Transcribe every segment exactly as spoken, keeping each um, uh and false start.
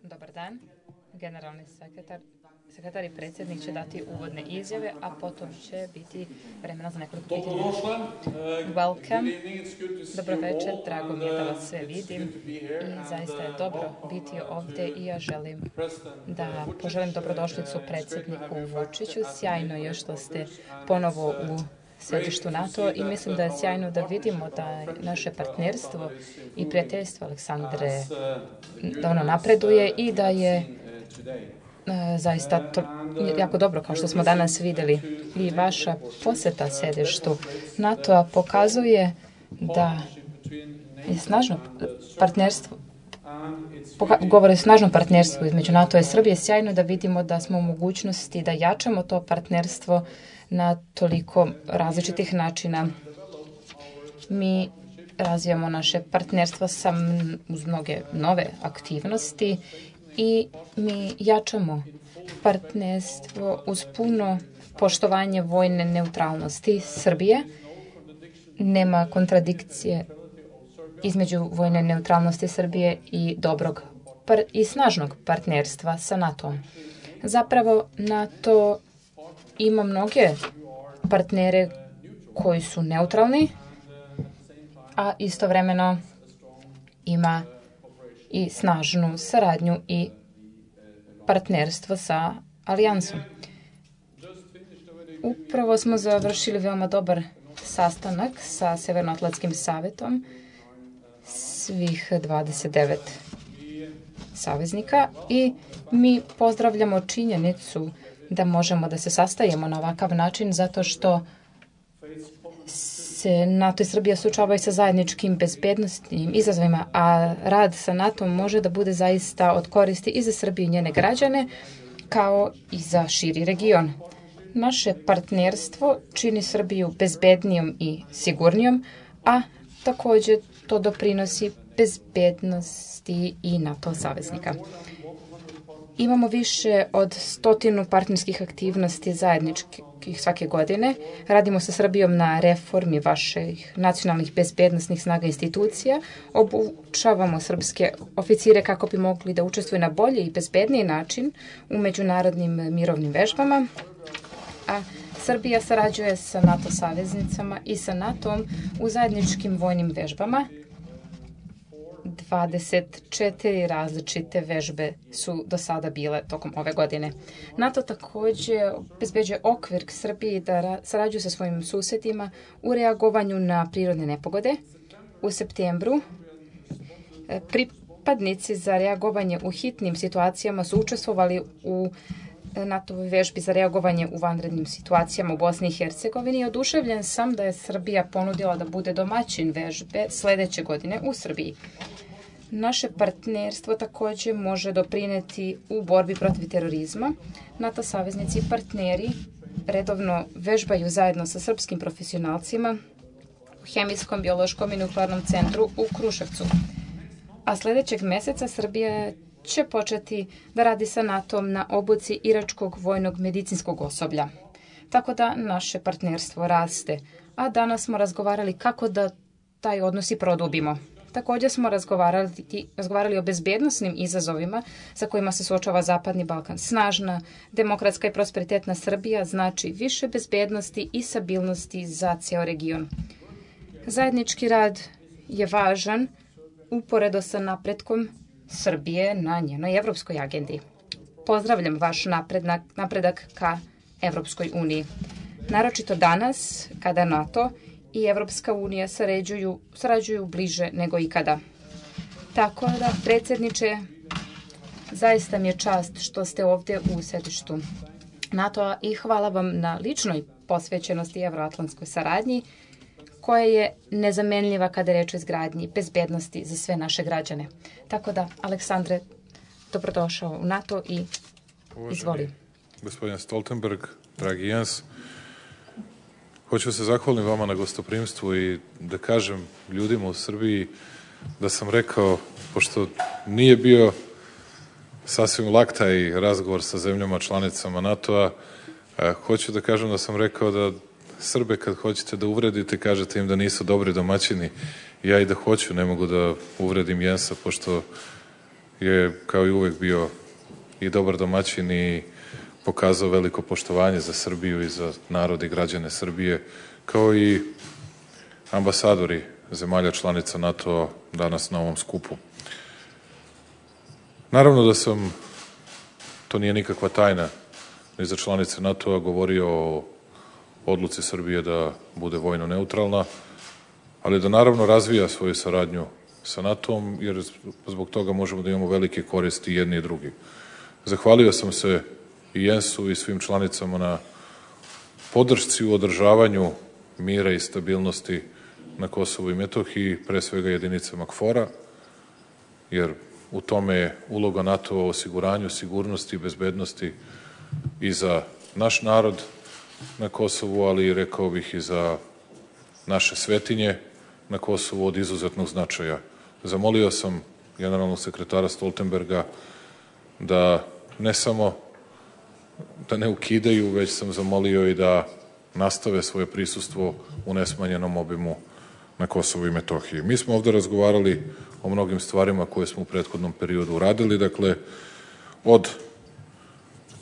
Dobar dan. Generalni sekretar, sekretar i predsjednik će dati uvodne izjave, a potom će biti vremena za nekoliko pitanja. Welcome. Dobro večer, drago mi je da vas sve vidim i zaista je dobro biti ovdje i ja želim da poželim dobrodošlicu predsjedniku Vučiću. Sjajno je što ste ponovo u središtu NATO i mislim da je sjajno da vidimo da je naše partnerstvo i prijateljstvo Aleksandre da ono napreduje i da je e, zaista to jako dobro kao što smo danas vidjeli. I vaša posjeta središtu NATO-a pokazuje da je snažno partnerstvo govore o snažnom partnerstvu između NATO i Srbije. Sjajno da vidimo da smo u mogućnosti da jačamo to partnerstvo na toliko različitih načina. Mi razvijamo naše partnerstvo sa uz mnoge nove aktivnosti i mi jačamo partnerstvo uz puno poštovanje vojne neutralnosti Srbije. Nema kontradikcije između vojne neutralnosti Srbije i dobrog i snažnog partnerstva sa NATO-om. Zapravo NATO ima mnoge partnere koji su neutralni, a istovremeno ima i snažnu saradnju i partnerstvo sa alijansom. Upravo smo završili veoma dobar sastanak sa Severnoatlantskim savetom svih dvadeset devet saveznika i mi pozdravljamo činjenicu da možemo da se sastajemo na ovakav način zato što se NATO i Srbija suočavaju sa zajedničkim bezbednostnim izazovima, a rad sa NATO može da bude zaista od koristi i za Srbiju i njene građane, kao i za širi region. Naše partnerstvo čini Srbiju bezbednijom i sigurnijom, a također to doprinosi bezbednosti i NATO saveznika. Imamo više od stotinu partnerskih aktivnosti zajedničkih svake godine. Radimo sa Srbijom na reformi vaših nacionalnih bezbednostnih snaga institucija. Obučavamo srpske oficire kako bi mogli da učestvuju na bolji i bezbedniji način u međunarodnim mirovnim vežbama. A Srbija sarađuje sa NATO saveznicama i sa NATO-om u zajedničkim vojnim vežbama. dvadeset četiri različite vežbe su do sada bile tokom ove godine. NATO također obezbeđuje okvir Srbiji da sarađuje sa svojim susjedima u reagovanju na prirodne nepogode. U septembru pripadnici za reagovanje u hitnim situacijama su učestvovali u NATO-voj vežbi za reagovanje u vanrednim situacijama u Bosni i Hercegovini. Oduševljen sam da je Srbija ponudila da bude domaćin vežbe sljedeće godine u Srbiji. Naše partnerstvo također može doprineti u borbi protiv terorizma. NATO saveznici i partneri redovno vežbaju zajedno sa srpskim profesionalcima u Hemijskom, biološkom i nuklearnom centru u Kruševcu. A sljedećeg mjeseca Srbija će početi da radi sa NATO-om na obuci iračkog vojnog medicinskog osoblja. Tako da naše partnerstvo raste. A danas smo razgovarali kako da taj odnos i produbimo. Također smo razgovarali, razgovarali o bezbednosnim izazovima sa kojima se suočava Zapadni Balkan. Snažna, demokratska i prosperitetna Srbija znači više bezbednosti i stabilnosti za cijel region. Zajednički rad je važan uporedo sa napretkom Srbije na njenoj evropskoj agendi. Pozdravljam vaš napredak, napredak ka Evropskoj uniji. Naročito danas, kada NATO i Evropska unija sarađuju, sarađuju bliže nego ikada. Tako da, predsjedniče, zaista mi je čast što ste ovdje u središtu NATO-a i hvala vam na ličnoj posvećenosti evroatlantskoj saradnji koja je nezamenljiva kada je reč o izgradnji bezbednosti za sve naše građane. Tako da, Aleksandre, dobrodošao u NATO i izvoli. Uvaženi gospodin Stoltenberg, dragi Jens, hoću se zahvalim vama na gostoprimstvu i da kažem ljudima u Srbiji da sam rekao, pošto nije bio sasvim lak taj razgovor sa zemljama članicama NATO-a, hoću da kažem da sam rekao da Srbe kad hoćete da uvredite, kažete im da nisu dobri domaćini. Ja i da hoću, ne mogu da uvredim Jensa, pošto je kao i uvek bio i dobar domaćin i pokazao veliko poštovanje za Srbiju i za narod i građane Srbije, kao i ambasadori zemalja članica NATO-a danas na ovom skupu. Naravno da sam, to nije nikakva tajna, ni za članice NATO-a, govorio o odluci Srbije da bude vojno neutralna, ali da naravno razvija svoju saradnju sa NATO-om, jer zbog toga možemo da imamo velike koristi jedni i drugi. Zahvalio sam se i Jensu i svim članicama na podršci u održavanju mira i stabilnosti na Kosovu i Metohiji, pre svega jedinicama KFOR-a, jer u tome je uloga NATO-a u osiguranju sigurnosti i bezbednosti i za naš narod na Kosovu, ali rekao bih i za naše svetinje na Kosovu od izuzetnog značaja. Zamolio sam generalnog sekretara Stoltenberga da ne samo da ne ukidaju, već sam zamolio i da nastave svoje prisustvo u nesmanjenom obimu na Kosovu i Metohiji. Mi smo ovde razgovarali o mnogim stvarima koje smo u prethodnom periodu uradili, dakle, od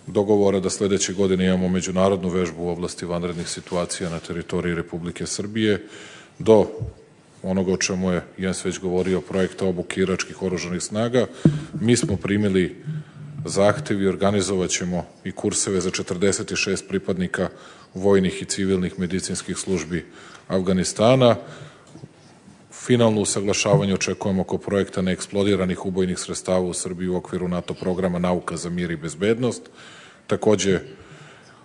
dogovora da sledeće godine imamo međunarodnu vežbu u oblasti vanrednih situacija na teritoriji Republike Srbije, do onoga o čemu je Jens već govorio, projekta obuke iračkih oružanih snaga. Mi smo primili zahtev i organizovaćemo i kurseve za četrdeset šest pripadnika vojnih i civilnih medicinskih službi Avganistana. Finalno usaglašavanje očekujemo oko projekta neeksplodiranih ubojnih sredstava u Srbiji u okviru NATO programa Nauka za mir i bezbednost. Takođe,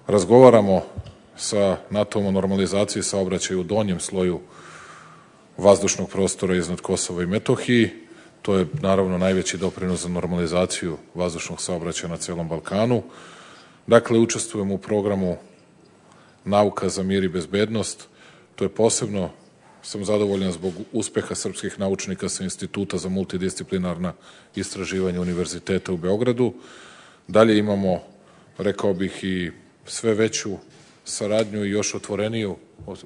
razgovaramo sa NATO-om o normalizaciji saobraćaja u donjem sloju vazdušnog prostora iznad Kosova i Metohiji. To je naravno najveći doprinos za normalizaciju vazdušnog saobraćaja na celom Balkanu. Dakle, učestvujemo u programu Nauka za mir i bezbednost. To je posebno, sam zadovoljan zbog uspeha srpskih naučnika sa Instituta za multidisciplinarna istraživanja Univerziteta u Beogradu. Dalje imamo, rekao bih, i sve veću saradnju i još otvoreniju,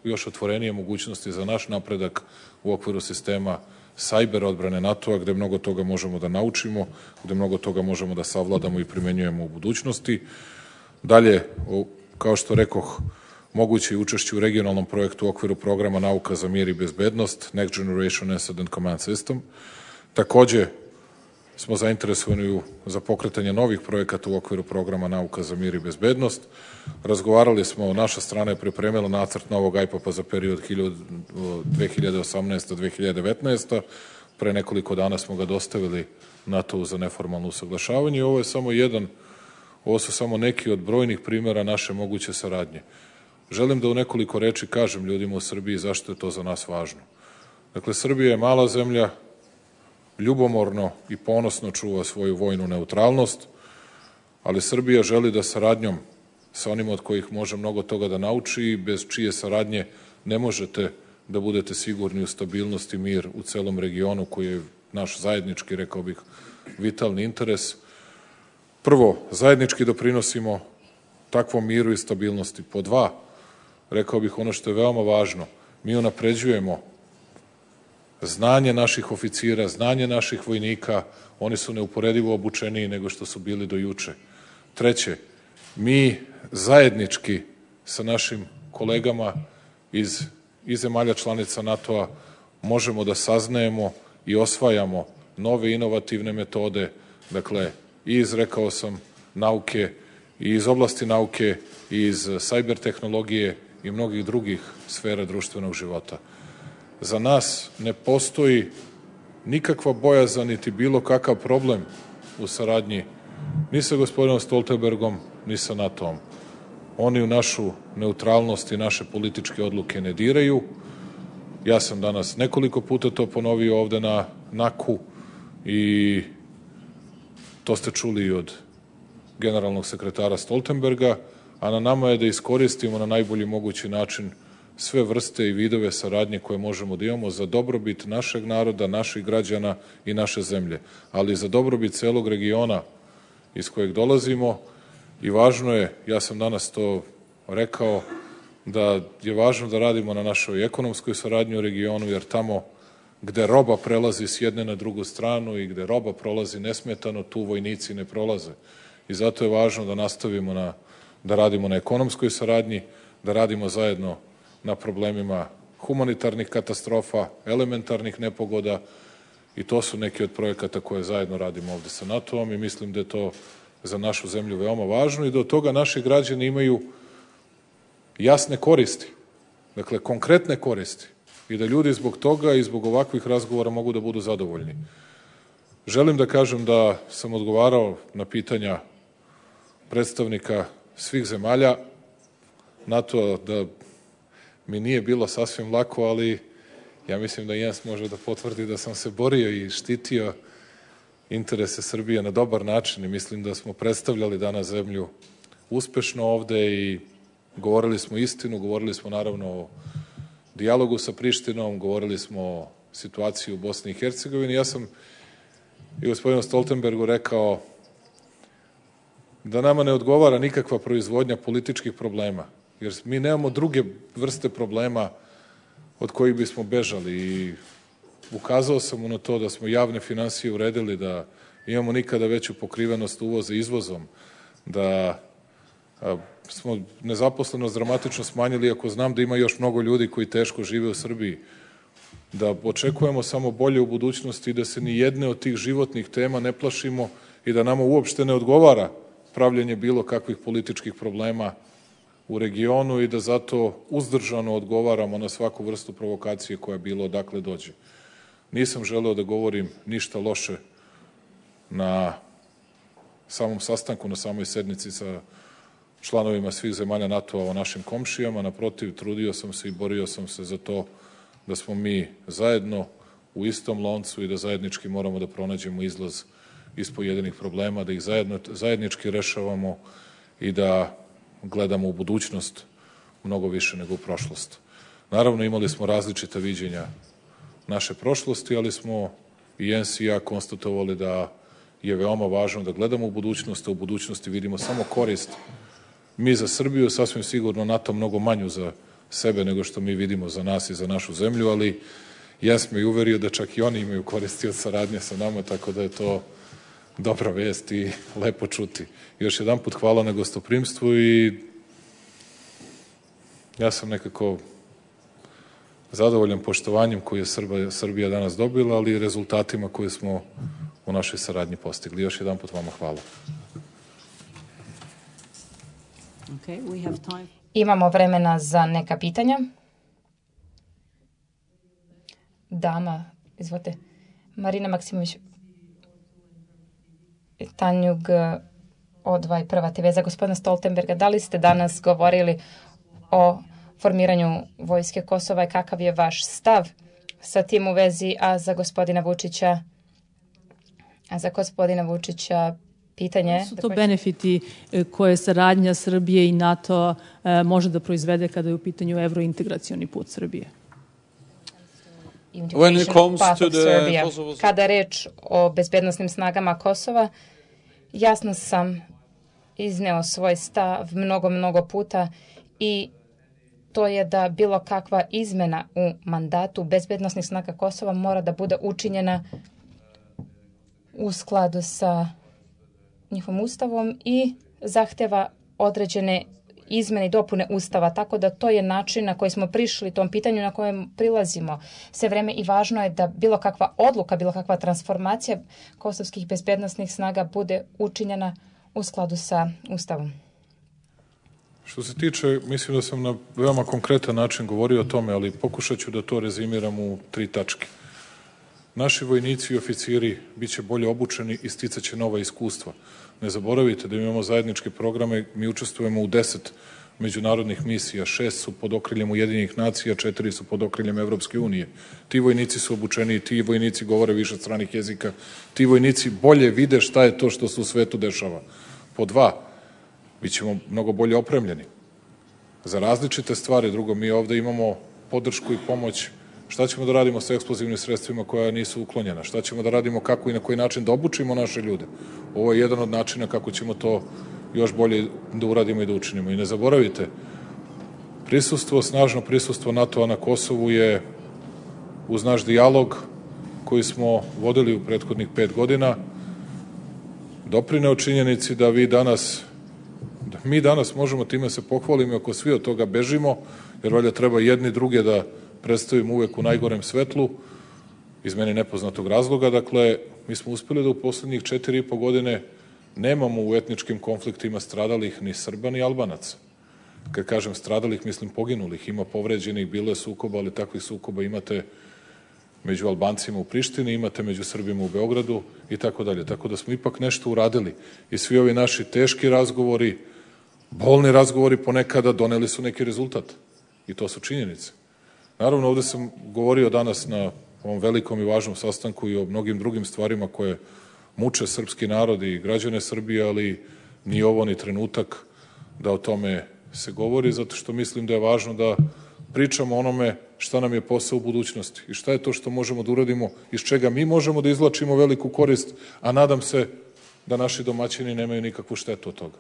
još otvorenije mogućnosti za naš napredak u okviru sistema sajber odbrane NATO-a, gde mnogo toga možemo da naučimo, gde mnogo toga možemo da savladamo i primenjujemo u budućnosti. Dalje, kao što rekoh, moguće je učešće u regionalnom projektu u okviru programa Nauka za mir i bezbednost, Next Generation Asset and Command System. Takođe, smo zainteresovani za pokretanje novih projekata u okviru programa Nauka za mir i bezbednost. Razgovarali smo, naša strana je pripremila nacrt novog aj papa za period dve hiljade osamnaesta do dve hiljade devetnaeste. Pre nekoliko dana smo ga dostavili NATO-u za neformalno usaglašavanje i ovo je samo jedan, ovo su samo neki od brojnih primera naše moguće saradnje. Želim da u nekoliko reči kažem ljudima u Srbiji zašto je to za nas važno. Dakle, Srbija je mala zemlja, ljubomorno i ponosno čuva svoju vojnu neutralnost, ali Srbija želi da saradnjom sa onima od kojih može mnogo toga da nauči i bez čije saradnje ne možete da budete sigurni u stabilnost i mir u celom regionu koji je naš zajednički, rekao bih, vitalni interes. Prvo, zajednički doprinosimo takvom miru i stabilnosti. Po dva, rekao bih ono što je veoma važno, mi unapređujemo znanje naših oficira, znanje naših vojnika, oni su neuporedivo obučeniji nego što su bili do juče. Treće, mi zajednički sa našim kolegama iz, iz zemalja članica NATO-a možemo da saznajemo i osvajamo nove inovativne metode, dakle, i iz, rekao sam, nauke, i iz oblasti nauke, i iz sajber tehnologije i mnogih drugih sfera društvenog života. Za nas ne postoji nikakva bojazan niti bilo kakav problem u saradnji ni sa gospodinom Stoltenbergom, ni sa NATO-om. Oni u našu neutralnost i naše političke odluke ne diraju. Ja sam danas nekoliko puta to ponovio ovde na NAK-u i to ste čuli i od generalnog sekretara Stoltenberga, a na nama je da iskoristimo na najbolji mogući način sve vrste i vidove saradnje koje možemo da imamo za dobrobit našeg naroda, naših građana i naše zemlje, ali za dobrobit celog regiona iz kojeg dolazimo. I važno je, ja sam danas to rekao, da je važno da radimo na našoj ekonomskoj saradnji u regionu, jer tamo gde roba prelazi s jedne na drugu stranu i gde roba prolazi nesmetano, tu vojnici ne prolaze. I zato je važno da nastavimo na, da radimo na ekonomskoj saradnji, da radimo zajedno na problemima humanitarnih katastrofa, elementarnih nepogoda i to su neki od projekata koje zajedno radimo ovde sa NATO-om i mislim da je to za našu zemlju veoma važno i da od toga naši građani imaju jasne koristi, dakle konkretne koristi i da ljudi zbog toga i zbog ovakvih razgovora mogu da budu zadovoljni. Želim da kažem da sam odgovarao na pitanja predstavnika svih zemalja NATO, da mi nije bilo sasvim lako, ali ja mislim da Jens može da potvrdi da sam se borio i štitio interese Srbije na dobar način i mislim da smo predstavljali danas zemlju uspešno ovde i govorili smo istinu, govorili smo naravno o dijalogu sa Prištinom, govorili smo o situaciji u Bosni i Hercegovini. Ja sam i gospodinu Stoltenbergu rekao da nama ne odgovara nikakva proizvodnja političkih problema, jer mi nemamo druge vrste problema od kojih bismo bežali i ukazao sam mu na to da smo javne finansije uredili, da imamo nikada veću pokrivenost uvoza izvozom, da a, smo nezaposlenost dramatično smanjili, ako znam da ima još mnogo ljudi koji teško žive u Srbiji, da očekujemo samo bolje u budućnosti i da se ni jedne od tih životnih tema ne plašimo i da nama uopšte ne odgovara pravljenje bilo kakvih političkih problema u regionu i da zato uzdržano odgovaramo na svaku vrstu provokacije koja bilo odakle dođe. Nisam želeo da govorim ništa loše na samom sastanku, na samoj sednici sa članovima svih zemalja NATO-a o našim komšijama. Naprotiv, trudio sam se i borio sam se za to da smo mi zajedno u istom loncu i da zajednički moramo da pronađemo izlaz iz pojedinih problema, da ih zajedno, zajednički rešavamo i da gledamo u budućnost mnogo više nego u prošlost. Naravno, imali smo različita viđenja naše prošlosti, ali smo i Jens i ja konstatovali da je veoma važno da gledamo u budućnost, a u budućnosti vidimo samo korist. Mi za Srbiju, sasvim sigurno NATO mnogo manju za sebe nego što mi vidimo za nas i za našu zemlju, ali Jens me i uverio da čak i oni imaju koristi od saradnje sa nama, tako da je to dobra vest i lepo čuti. Još jedan put hvala na gostoprimstvu i ja sam nekako zadovoljan poštovanjem koje je Srbija, Srbija danas dobila, ali i rezultatima koje smo u našoj saradnji postigli. Još jedan put vama hvala. Okay, we have time. Imamo vremena za neka pitanja. Dama, izvolite. Marina Maksimović, Tanjug od dvadeset prva te ve za gospodina Stoltenberga. Da li ste danas govorili o formiranju vojske Kosova i kakav je vaš stav sa tim u vezi, a za gospodina Vučića, a za gospodina Vučića pitanje. Su to benefiti koje saradnja Srbije i NATO može da proizvede kada je u pitanju evrointegracioni put Srbije? When it comes to the Kosovo... Kada je reč o bezbednosnim snagama Kosova, jasno sam izneo svoj stav mnogo, mnogo puta i to je da bilo kakva izmena u mandatu bezbednosnih snaga Kosova mora da bude učinjena u skladu sa njihovim ustavom i zahteva određene izmene i dopune ustava, tako da to je način na koji smo prišli tom pitanju na kojem prilazimo sve vreme i važno je da bilo kakva odluka, bilo kakva transformacija kosovskih bezbednosnih snaga bude učinjena u skladu sa ustavom. Što se tiče, mislim da sam na veoma konkretan način govorio o tome, ali pokušat ću da to rezimiram u tri tačke. Naši vojnici i oficiri biće bolje obučeni i sticaće nova iskustva. Ne zaboravite da imamo zajedničke programe, mi učestvujemo u deset međunarodnih misija, šest su pod okriljem Ujedinjenih nacija, četiri su pod okriljem Evropske unije. Ti vojnici su obučeni, ti vojnici govore više stranih jezika, ti vojnici bolje vide šta je to što se u svetu dešava. Po dva, bit ćemo mnogo bolje opremljeni za različite stvari. Drugo, mi ovde imamo podršku i pomoć. Šta ćemo da radimo sa eksplozivnim sredstvima koja nisu uklonjena? Šta ćemo da radimo, kako i na koji način da obučimo naše ljude? Ovo je jedan od načina kako ćemo to još bolje da uradimo i da učinimo. I ne zaboravite, prisustvo, snažno prisustvo NATO-a na Kosovu je uz naš dijalog koji smo vodili u prethodnih pet godina, doprineo činjenici da vi danas, da mi danas možemo time se pohvalimo ako svi od toga bežimo, jer valjda treba jedni druge da predstavimo uvek u najgorem svetlu, iz meni nepoznatog razloga. Dakle, mi smo uspeli da u poslednjih četiri i po godine nemamo u etničkim konfliktima stradalih ni Srba ni Albanaca. Kad kažem stradalih, mislim poginulih. Ima povređenih, bilo je sukoba, ali takvih sukoba imate među Albancima u Prištini, imate među Srbima u Beogradu i tako dalje. Tako da smo ipak nešto uradili. I svi ovi naši teški razgovori, bolni razgovori ponekada doneli su neki rezultat. I to su činjenice. Naravno, ovde sam govorio danas na ovom velikom i važnom sastanku i o mnogim drugim stvarima koje muče srpski narod i građane Srbije, ali ni ovo ni trenutak da o tome se govori, zato što mislim da je važno da pričamo o onome šta nam je posao u budućnosti i šta je to što možemo da uradimo, iz čega mi možemo da izvlačimo veliku korist, a nadam se da naši domaćini nemaju nikakvu štetu od toga.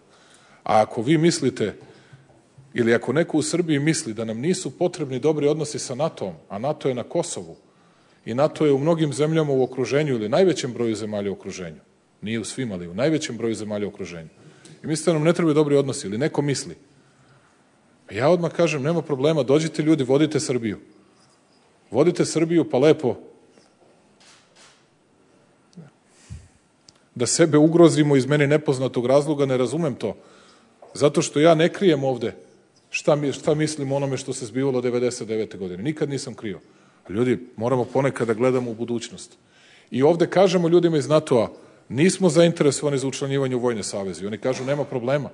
A ako vi mislite, ili ako neko u Srbiji misli da nam nisu potrebni dobri odnosi sa NATO-om, a NATO je na Kosovu i NATO je u mnogim zemljama u okruženju ili najvećem broju zemalja u okruženju, nije u svim, ali u najvećem broju zemalja u okruženju, i mislite da nam ne trebaju dobri odnosi ili neko misli, ja odmah kažem, nema problema, dođite ljudi, vodite Srbiju. Vodite Srbiju, pa lepo da sebe ugrozimo iz meni nepoznatog razloga, ne razumem to. Zato što ja ne krijem ovde šta, mi, šta mislim o onome što se zbivalo devedeset devete godine. Nikad nisam krio. Ljudi, moramo ponekad da gledamo u budućnost. I ovde kažemo ljudima iz NATO-a, nismo zainteresovani za učlanjivanje u vojne saveze. I oni kažu, nema problema.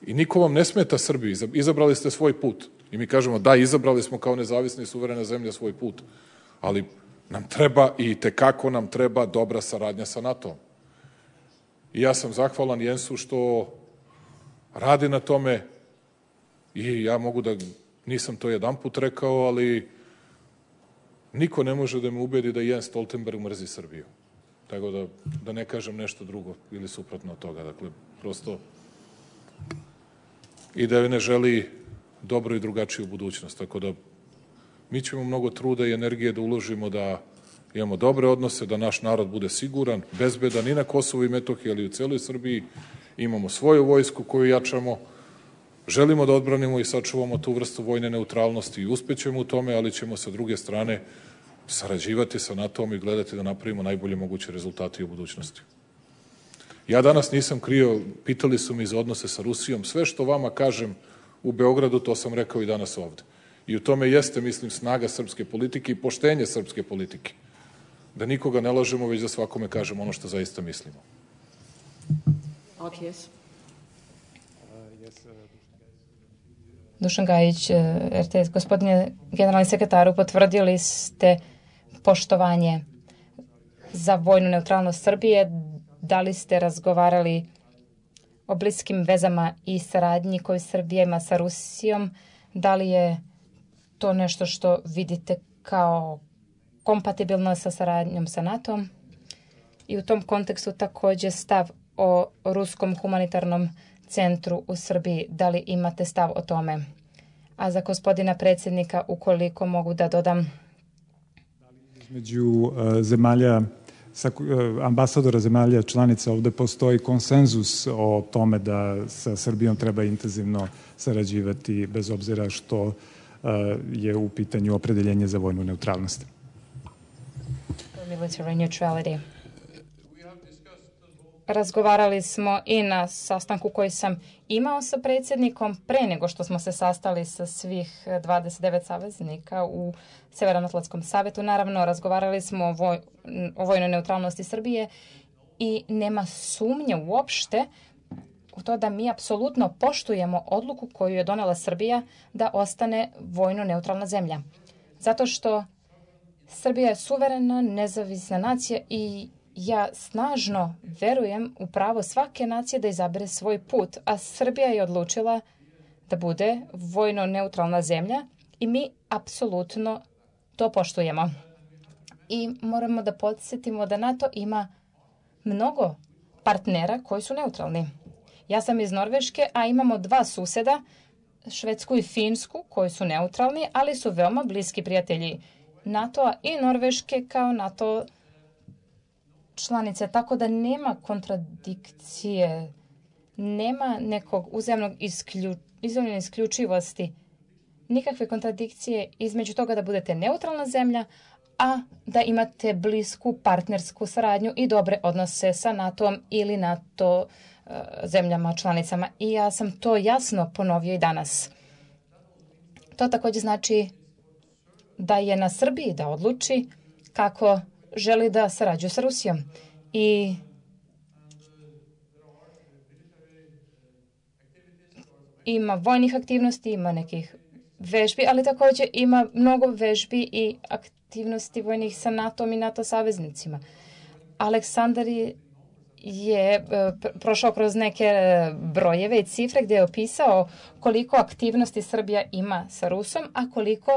I niko vam ne smeta Srbiji, izabrali ste svoj put. I mi kažemo, da, izabrali smo kao nezavisna i suverena zemlja svoj put, ali nam treba i tekako nam treba dobra saradnja sa NATO-om. I ja sam zahvalan Jensu što radi na tome i ja mogu da, nisam to jedan put rekao, ali niko ne može da me ubedi da Jens Stoltenberg mrzi Srbiju. Tako da, da ne kažem nešto drugo ili suprotno od toga. Dakle, prosto i da joj ne želi dobro i drugačiju budućnost. Tako da mi ćemo mnogo truda i energije da uložimo da imamo dobre odnose, da naš narod bude siguran, bezbedan i na Kosovu i Metohiji, ali i u celoj Srbiji. Imamo svoju vojsku koju jačamo, želimo da odbranimo i sačuvamo tu vrstu vojne neutralnosti i uspećemo u tome, ali ćemo sa druge strane sarađivati sa NATO-om i gledati da napravimo najbolje moguće rezultate u budućnosti. Ja danas nisam krio, pitali su mi za odnose sa Rusijom, sve što vama kažem u Beogradu, to sam rekao i danas ovde. I u tome jeste, mislim, snaga srpske politike i poštenje srpske politike. Da nikoga ne lažemo, već da svakome kažemo ono što zaista mislimo. Yes. Dušan Gajić, R T S. Gospodine generalni sekretaru, potvrdili ste poštovanje za vojnu neutralnost Srbije. Da li ste razgovarali o bliskim vezama i saradnji koju Srbija ima sa Rusijom? Da li je to nešto što vidite kao kompatibilno sa saradnjom sa NATO-om? I u tom kontekstu takođe stav o Ruskom humanitarnom centru u Srbiji. Da li imate stav o tome? A za gospodina predsjednika, ukoliko mogu da dodam. Između uh, zemalja, sa, uh, ambasadora zemalja članica ovde postoji konsenzus o tome da sa Srbijom treba intenzivno sarađivati bez obzira što uh, je u pitanju opredeljenje za vojnu neutralnost. Military neutrality. Razgovarali smo i na sastanku koji sam imao sa predsjednikom pre nego što smo se sastali sa svih dvadeset devet saveznika u Severnoatlantskom savetu. Naravno, razgovarali smo o, voj, o vojnoj neutralnosti Srbije i nema sumnje uopšte u to da mi apsolutno poštujemo odluku koju je donela Srbija da ostane vojno neutralna zemlja. Zato što Srbija je suverena, nezavisna nacija i ja snažno verujem u pravo svake nacije da izabere svoj put, a Srbija je odlučila da bude vojno neutralna zemlja i mi apsolutno to poštujemo. I moramo da podsjetimo da NATO ima mnogo partnera koji su neutralni. Ja sam iz Norveške, a imamo dva suseda, Švedsku i Finsku, koji su neutralni, ali su veoma bliski prijatelji NATO-a i Norveške kao NATO članice, tako da nema kontradikcije, nema nekog uzajamnog isključenja, izvoljene isključivosti, nikakve kontradikcije između toga da budete neutralna zemlja, a da imate blisku partnersku saradnju i dobre odnose sa NATO-om ili NATO uh, zemljama članicama. I ja sam to jasno ponovio i danas. To također znači da je na Srbiji da odluči kako želi da sarađuje sa Rusijom. I ima vojnih aktivnosti, ima nekih vežbi, ali također ima mnogo vežbi i aktivnosti vojnih sa NATO-om i NATO saveznicima. Aleksandar je prošao kroz neke brojeve i cifre gdje je opisao koliko aktivnosti Srbija ima sa Rusom, a koliko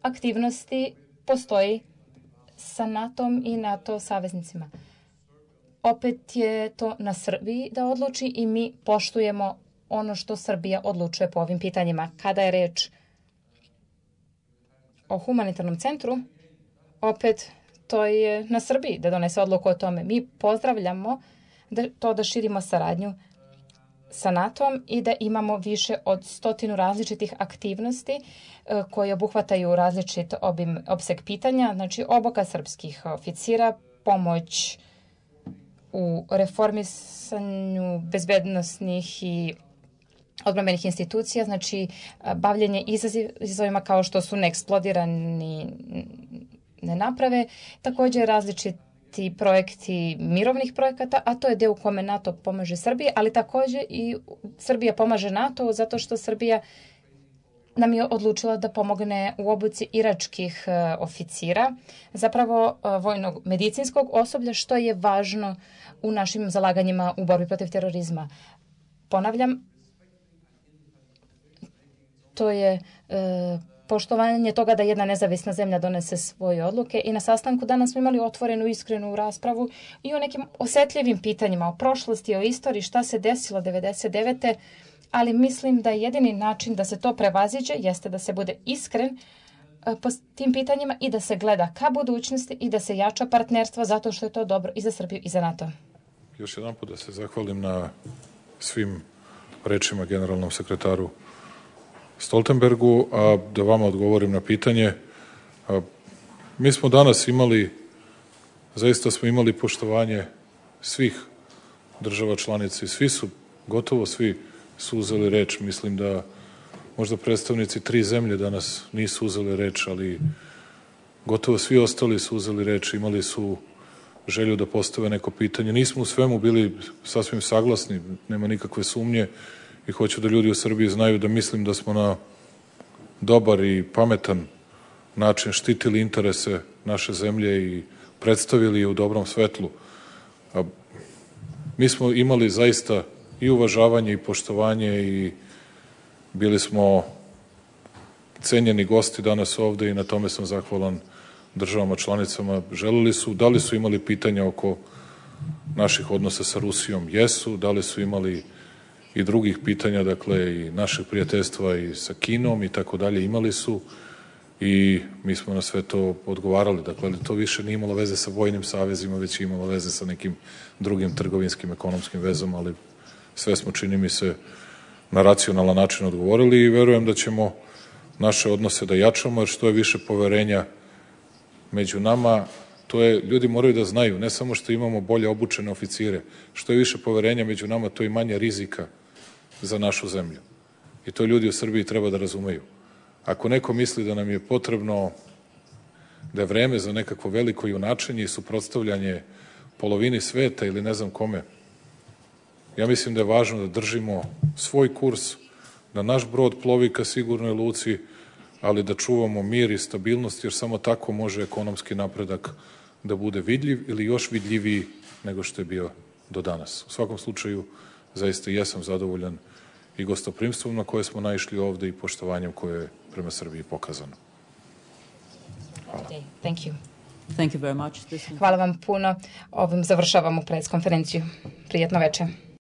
aktivnosti postoji sa NATO-om i NATO saveznicima. Opet je to na Srbiji da odluči i mi poštujemo ono što Srbija odlučuje po ovim pitanjima. Kada je reč o humanitarnom centru, opet to je na Srbiji da donese odluku o tome. Mi pozdravljamo da, to da širimo saradnju sa NATO-om i da imamo više od stotinu različitih aktivnosti e, koje obuhvataju različit obim, opseg pitanja, znači obuka srpskih oficira, pomoć u reformisanju bezbednosnih i odbrambenih institucija, znači bavljenje izazovima kao što su neeksplodirani nenaprave, također različiti projekti mirovnih projekata, a to je deo u kome NATO pomaže Srbiji, ali također i Srbija pomaže NATO zato što Srbija nam je odlučila da pomogne u obuci iračkih oficira, zapravo vojnog medicinskog osoblja, što je važno u našim zalaganjima u borbi protiv terorizma. Ponavljam, to je e, poštovanje toga da jedna nezavisna zemlja donese svoje odluke i na sastanku danas smo imali otvorenu, iskrenu raspravu i o nekim osetljivim pitanjima, o prošlosti, o istoriji, šta se desilo devedeset devete ali mislim da jedini način da se to prevaziđe jeste da se bude iskren e, po tim pitanjima i da se gleda ka budućnosti i da se jača partnerstvo zato što je to dobro i za Srbiju i za NATO. Još jedan put da se zahvalim na svim rečima generalnom sekretaru Stoltenbergu, a da vama odgovorim na pitanje. A, mi smo danas imali, zaista smo imali poštovanje svih država članica i svi su, gotovo svi su uzeli reč. Mislim da možda predstavnici tri zemlje danas nisu uzeli reč, ali gotovo svi ostali su uzeli reč, imali su želju da postave neko pitanje. Nismo u svemu bili sasvim saglasni, nema nikakve sumnje i hoću da ljudi u Srbiji znaju da mislim da smo na dobar i pametan način štitili interese naše zemlje i predstavili je u dobrom svetlu. A mi smo imali zaista i uvažavanje i poštovanje i bili smo cenjeni gosti danas ovde i na tome sam zahvalan državama članicama. Želeli su, da li su imali pitanja oko naših odnosa sa Rusijom? Jesu. Da li su imali i drugih pitanja, dakle i našeg prijateljstva i sa Kinom i tako dalje, imali su i mi smo na sve to odgovarali. Dakle, to više nije imalo veze sa vojnim savezima, već je imalo veze sa nekim drugim trgovinskim, ekonomskim vezom, ali sve smo, čini mi se, na racionalan način odgovorili i verujem da ćemo naše odnose da jačamo, jer što je više poverenja među nama, to je, ljudi moraju da znaju, ne samo što imamo bolje obučene oficire, što je više poverenja među nama, to je manje rizika za našu zemlju. I to ljudi u Srbiji treba da razumeju. Ako neko misli da nam je potrebno, da je vreme za nekakvo veliko junačenje i suprotstavljanje polovini sveta ili ne znam kome, ja mislim da je važno da držimo svoj kurs, da naš brod plovi ka sigurnoj luci, ali da čuvamo mir i stabilnost, jer samo tako može ekonomski napredak da bude vidljiv ili još vidljiviji nego što je bio do danas. U svakom slučaju, zaista jesam zadovoljan i gostoprimstvom na koje smo naišli ovde i poštovanjem koje je prema Srbiji pokazano. Hvala. Okay, thank you. Thank you very much. Hvala vam puno. Ovim završavamo preskonferenciju. Prijetno večer.